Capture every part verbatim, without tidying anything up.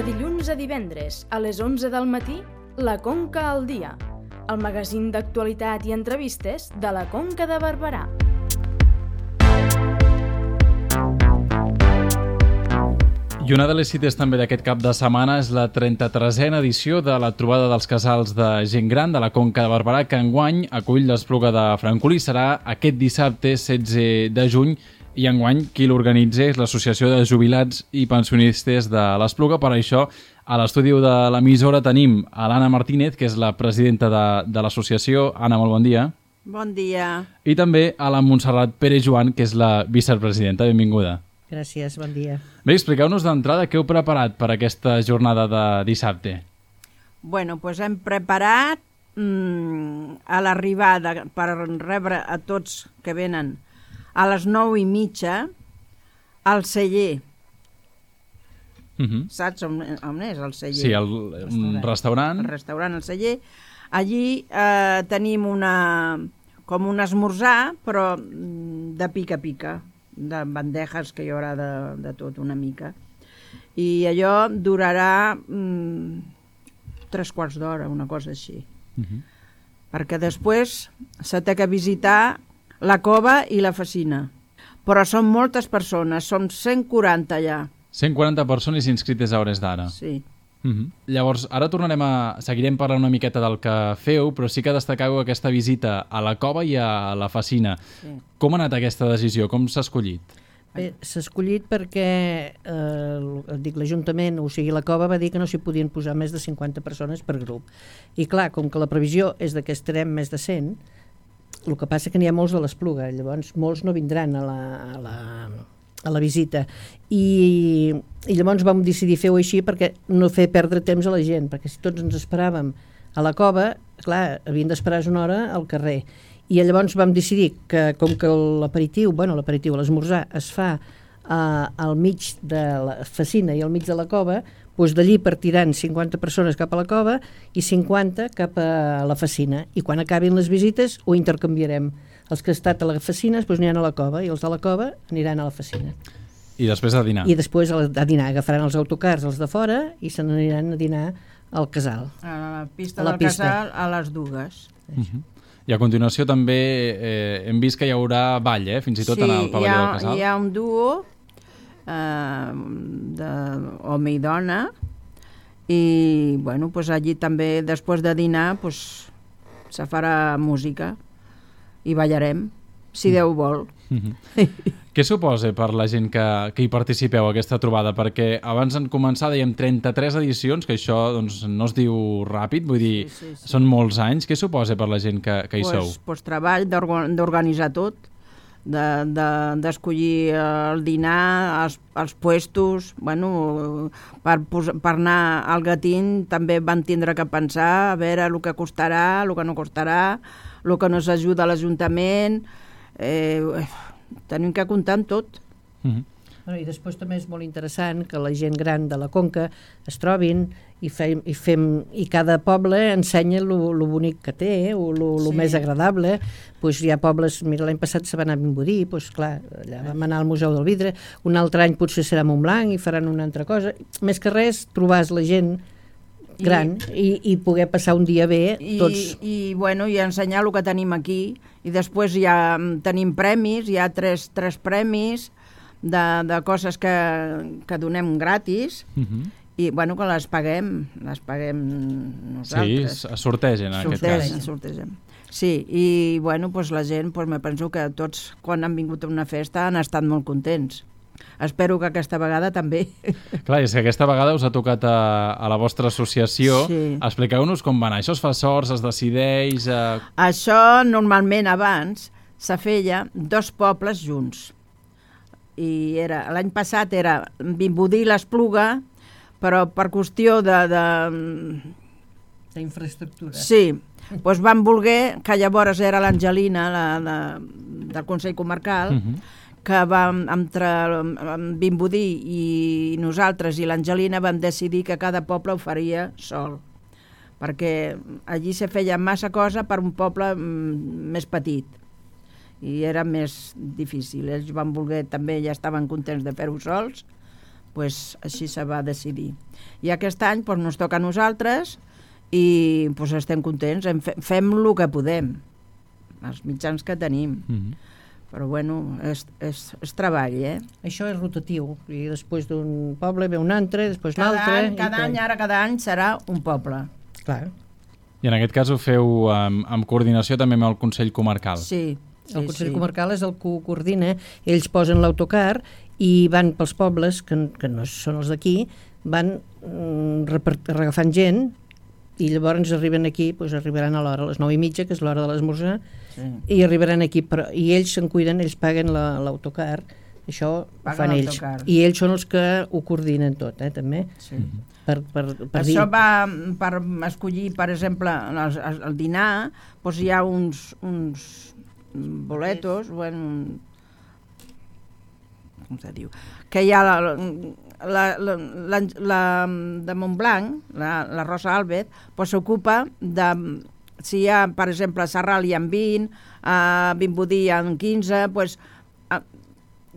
dilluns a divendres, a les onze del matí, La Conca al dia, el magazín d'actualitat i entrevistes de la Conca de Barberà. I una de les cites també d'aquest cap de setmana és la trenta-tresena edició de la trobada dels casals de gent gran de la Conca de Barberà, que enguany acull l'Espluga de Francolí. Serà aquest dissabte setze de juny i enguany qui l'organitza és l'Associació de Jubilats i Pensionistes de l'Espluga. Per això, a l'estudi de l'emissora tenim a l'Anna Martínez, que és la presidenta de, de l'associació. Anna, molt bon dia. Bon dia. I també a la Montserrat Pérez Joan, que és la vicepresidenta. Benvinguda. Gràcies, bon dia. Bé, expliqueu-nos d'entrada què heu preparat per aquesta jornada de dissabte. Bueno, doncs hem preparat mmm, a l'arribada per rebre a tots que venen a les nou i mitja al celler. Uh -huh. Saps on, on és el celler? Sí, el, un restaurant. El restaurant, el celler. Allí eh, tenim una, com un esmorzar, però de pica-pica, de bandejes que hi haurà de, de tot una mica. I allò durarà mm, tres quarts d'hora, una cosa així. Uh -huh. Perquè després se té que visitar la cova i la fassina. Però són moltes persones, són cent quaranta allà. cent quaranta persones inscrites a hores d'ara. Sí. Uh -huh. Llavors, ara tornarem a... seguirem parlant una miqueta del que feu, però sí que destacau aquesta visita a la cova i a la fassina. Sí. Com ha anat aquesta decisió? Com s'ha escollit? Bé, s'ha escollit perquè eh, dic l'Ajuntament, o sigui la cova, va dir que no s'hi podien posar més de cinquanta persones per grup. I clar, com que la previsió és de que estarem més de cent, el que passa que n'hi ha molts de l'Espluga, llavors molts no vindran a la... A la a la visita, I, i llavors vam decidir fer-ho així perquè no fer perdre temps a la gent, perquè si tots ens esperàvem a la cova, clar, havien d'esperar una hora al carrer, i llavors vam decidir que com que l'aperitiu, bueno, l'aperitiu, l'esmorzar es fa uh, al mig de la fassina i al mig de la cova, doncs d'allí partiran cinquanta persones cap a la cova i cinquanta cap a la fassina, i quan acabin les visites ho intercanviarem. Els que han estat a la fassina doncs aniran a la cova i els de la cova aniran a la fassina. I després a dinar? I després a dinar. Agafaran els autocars, els de fora, i se n'aniran a dinar al casal. A la pista a la del pista. casal a les dues. Uh -huh. I a continuació també eh, hem vist que hi haurà ball, eh? Fins i tot sí, en el pavelló ha, del casal. Sí, hi ha un duo eh, d'home i dona, i bueno, pues allí també després de dinar pues, se farà música i ballarem, si Déu vol. Uh-huh. Què suposa per la gent que, que hi participeu a aquesta trobada? Perquè abans en començar dèiem trenta-tres edicions, que això doncs, no es diu ràpid, vull dir, sí, sí, sí. Són molts anys. Què suposa per la gent que, que hi pues, sou? Pues treball d'organitzar tot, d'escollir de, de, el dinar, els, els puestos, bueno, per, per anar al Gatín també van tindre que pensar a veure el que costarà, el que no costarà, el que nos ajuda a l'Ajuntament, eh, tenim que comptar amb tot. Uh-huh. Bueno, i després també és molt interessant que la gent gran de la Conca es trobin i, fem, i, fem, i cada poble ensenya el bonic que té, o el sí. més agradable. Pues hi ha pobles, mira, l'any passat se va anar a Vimbodí, pues, clar, allà vam anar al Museu del Vidre, un altre any potser serà a Montblanc i faran una altra cosa. Més que res, trobar la gent gran i, i, i poder passar un dia bé tots. I, i, bueno, i ensenyar el que tenim aquí, i després ja tenim premis, hi ha tres, tres premis de, de coses que, que donem gratis, uh-huh. i bueno, que les paguem, les paguem nosaltres. Sí, es sortegen en sortegen, aquest cas. Sortegen. Sí, i bueno, pues la gent, pues me penso que tots, quan han vingut a una festa, han estat molt contents. Espero que aquesta vegada també. Clar, és que aquesta vegada us ha tocat a, a la vostra associació. Sí. Expliqueu-nos com va anar. Això es fa sorts, es decideix... Eh... Això normalment abans se feia dos pobles junts. I era l'any passat era Vimbodí i l'Espluga, però per qüestió de... de... d'infraestructura. Sí, doncs van voler, que llavors era l'Angelina, la, la, del Consell Comarcal, uh-huh. que vam, entre Vimbodí i nosaltres i l'Angelina vam decidir que cada poble ho faria sol, perquè allí se feia massa cosa per un poble més petit. i era més difícil. Ells van voler, també ja estaven contents de fer-ho sols, pues, així se va decidir. I aquest any pues, ens toca a nosaltres i pues, estem contents, fem el que podem, els mitjans que tenim. Mm-hmm. Però bueno, és, és, és treball, eh? Això és rotatiu, i després d'un poble ve un altre, després cada l'altre... Any, cada any, ara cada any serà un poble. Clar. I en aquest cas ho feu amb, amb coordinació també amb el Consell Comarcal. Sí. sí el Consell sí. Comarcal és el que ho coordina, ells posen l'autocar i van pels pobles, que, que no són els d'aquí, van mm, agafant gent i llavors arriben aquí, doncs arribaran a l'hora, a les nou i mitja, que és l'hora de l'esmorzar, sí. I arribaran aquí, però, i ells se'n cuiden, ells paguen l'autocar, això ho fan ells, i ells són els que ho coordinen tot, eh, també. Sí. Per, per, per això dir... va per escollir, per exemple, el, el dinar, doncs hi ha uns, uns boletos, bueno, com se diu, que hi ha la, la, la, la, la de Montblanc, la, la Rosa Álvarez, pues s'ocupa de, si hi ha, per exemple, a Sarral hi ha vint, a Vimbodí hi ha quinze, pues,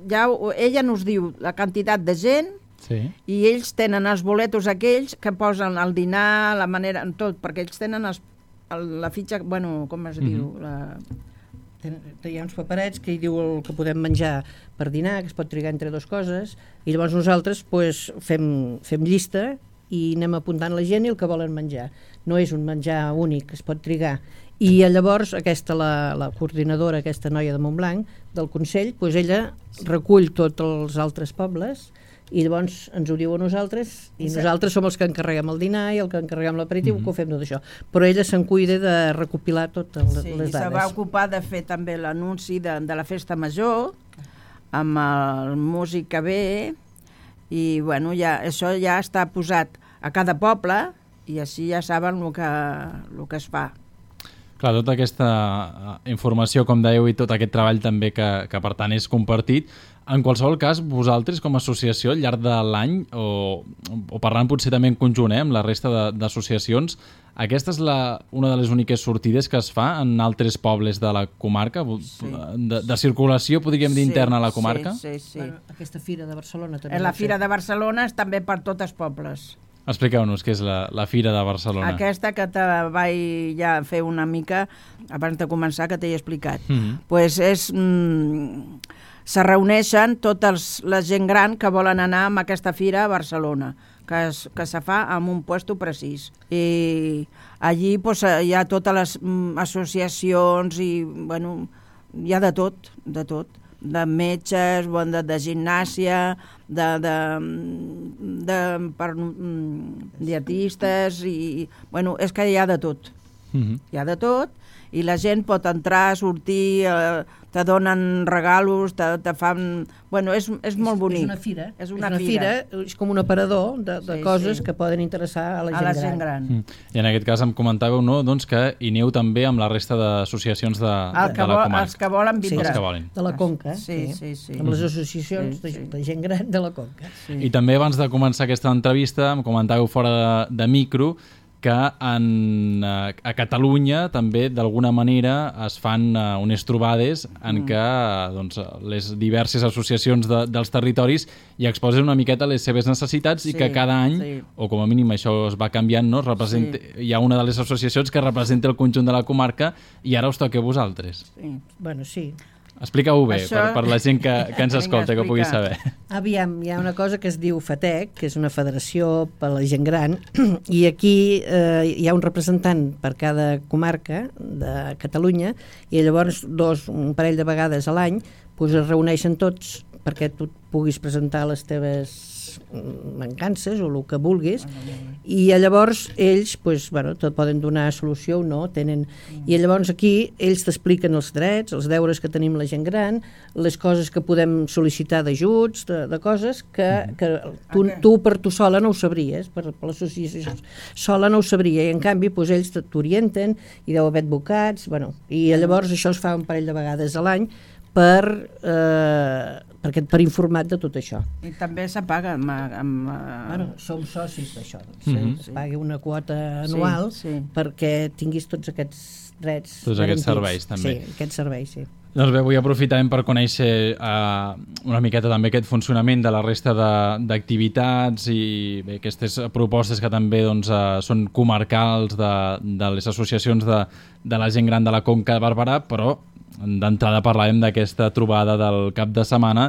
ja, ella nos diu la quantitat de gent, sí. I ells tenen els boletos aquells que posen el dinar, la manera, tot, perquè ells tenen els, la fitxa, bueno, com es mm-hmm. diu, la... Hi ha uns paperets que hi diu el que podem menjar per dinar, que es pot trigar entre dues coses, i llavors nosaltres pues, fem, fem llista i anem apuntant la gent i el que volen menjar. No és un menjar únic, es pot trigar. I llavors aquesta, la, la coordinadora, aquesta noia de Montblanc, del Consell, pues ella recull tots els altres pobles i llavors ens ho diu a nosaltres i nosaltres som els que encarreguem el dinar i el que encarreguem l'aperitiu, mm-hmm. que ho fem tot això, però ella se'n cuida de recopilar totes sí, les dades. Se va ocupar de fer també l'anunci de, de la festa major amb el músic que ve i bueno, ja, això ja està posat a cada poble i així ja saben el que, el que es fa. Clar, tota aquesta informació, com dèieu, i tot aquest treball també que, que per tant és compartit. En qualsevol cas, vosaltres com a associació al llarg de l'any, o, o parlant potser també en conjunt eh, amb la resta d'associacions, aquesta és la, una de les úniques sortides que es fa en altres pobles de la comarca, sí. de, de circulació, podríem dir, sí, interna a la comarca? Sí, sí, sí. Bueno, aquesta fira de Barcelona també. La fira de Barcelona és també per tots els pobles. Expliqueu-nos què és la, la Fira de Barcelona. Aquesta que te vaig ja fer una mica abans de començar, que t'he explicat. Mm-hmm. Pues és, mm, se reuneixen totes la gent gran que volen anar a aquesta fira a Barcelona, que, es, que se fa en un puesto precís. I allí pues, hi ha totes les mm, associacions i bueno, hi ha de tot, de tot. De metges, de, de gimnàsia, de, de, de per, mm, dietistes i bueno, és que hi ha de tot. Mm-hmm. Hi ha de tot i la gent pot entrar, sortir, eh, te donen regalos, te, te fan... Bueno, és, és molt bonic. És una fira. És una, és una fira. fira, és com un aparador de, de sí, coses sí. que poden interessar a la gent, a la gran. gent gran. Mm. I en aquest cas em comentàveu no, doncs que hi aneu també amb la resta d'associacions de, de, de la comarca. Els que volen vindre. Sí, els que volen. De la Conca. Sí, sí, sí. Amb les associacions sí, sí. De, de gent gran de la Conca. Sí. I també abans de començar aquesta entrevista em comentàveu fora de, de micro que en, a Catalunya també d'alguna manera es fan uh, unes trobades en mm. què doncs, les diverses associacions de, dels territoris hi exposen una miqueta les seves necessitats sí, i que cada any, sí. o com a mínim això es va canviant, no? Representa, sí. hi ha una de les associacions que representa el conjunt de la comarca i ara us toca a vosaltres. Sí. Bueno, sí. Explica-ho bé, Això... per, per la gent que, que ens escolta, que pugui saber. Aviam, hi ha una cosa que es diu FATEC, que és una federació per a la gent gran, i aquí eh, hi ha un representant per cada comarca de Catalunya, i llavors dos, un parell de vegades a l'any pues, es reuneixen tots perquè tu puguis presentar les teves mancances o el que vulguis i llavors ells pues, bueno, te poden donar solució o no tenen... i llavors aquí ells t'expliquen els drets, els deures que tenim la gent gran, les coses que podem sol·licitar d'ajuts, de, de coses que, que tu, tu per tu sola no ho sabries, per, per l'associació sola no ho sabria i en canvi pues, ells t'orienten i deu haver advocats bueno, i llavors això es fa un parell de vegades a l'any per, eh, perquè, per informat de tot això. I també se paga amb... amb bueno, som socis d'això, doncs, mm-hmm. es pagui una quota anual sí, sí. perquè tinguis tots aquests drets Tots aquests serveis, també. Sí, aquests serveis, sí. Doncs bé, avui aprofitarem per conèixer uh, una miqueta també aquest funcionament de la resta d'activitats i bé, aquestes propostes que també doncs, uh, són comarcals de, de les associacions de, de la gent gran de la Conca de Barberà, però d'entrada parlàvem d'aquesta trobada del cap de setmana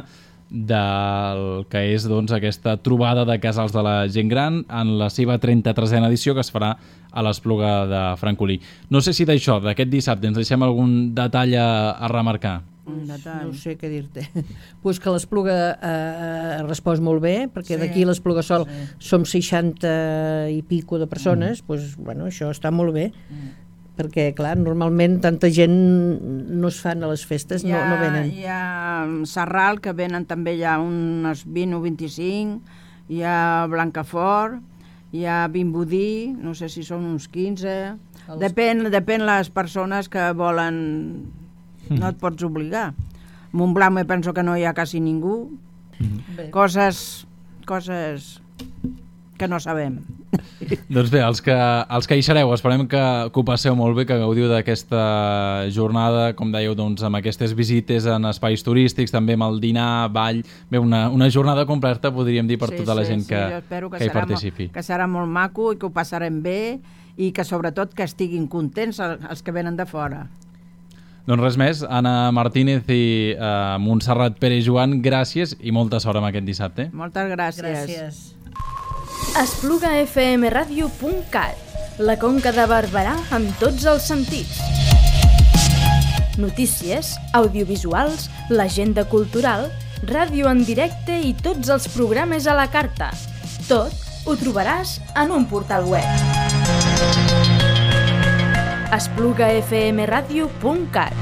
del que és doncs, aquesta trobada de casals de la gent gran en la seva trenta-tresena edició que es farà a l'Espluga de Francolí. No sé si d'això, d'aquest dissabte, ens deixem algun detall a, a remarcar. Un detall. No sé què dir-te. Pues que l'Espluga eh, ha respost molt bé, perquè sí, d'aquí l'Espluga Sol sí. som seixanta i pico de persones, mm. pues, bueno, això està molt bé. Mm. Perquè, clar, normalment tanta gent no es fan a les festes, ha, no, no venen. Hi ha Sarral, que venen també ja unes vint o vint-i-cinc, hi ha Blancafort, hi ha Vimbodí, no sé si són uns quinze... Els... Depèn, depèn les persones que volen... No et pots obligar. Montblanc me penso que no hi ha quasi ningú. Mm. Coses... coses... que no sabem. Doncs bé, els que, els que hi sereu, esperem que, que ho passeu molt bé, que gaudiu d'aquesta jornada, com dèieu, doncs, amb aquestes visites en espais turístics, també amb el dinar, ball, bé, una, una jornada completa, podríem dir, per sí, tota la sí, gent sí, que, que, que hi participi. Molt, que serà molt maco i que ho passarem bé i que sobretot que estiguin contents els que venen de fora. Doncs res més, Anna Martínez i uh, Montserrat Pere Joan, gràcies i molta sort amb aquest dissabte. Moltes gràcies. Gràcies. espluga f m radio punt cat, la Conca de Barberà amb tots els sentits. Notícies, audiovisuals, l'agenda cultural, ràdio en directe i tots els programes a la carta. Tot ho trobaràs en un portal web. espluga f m radio punt cat.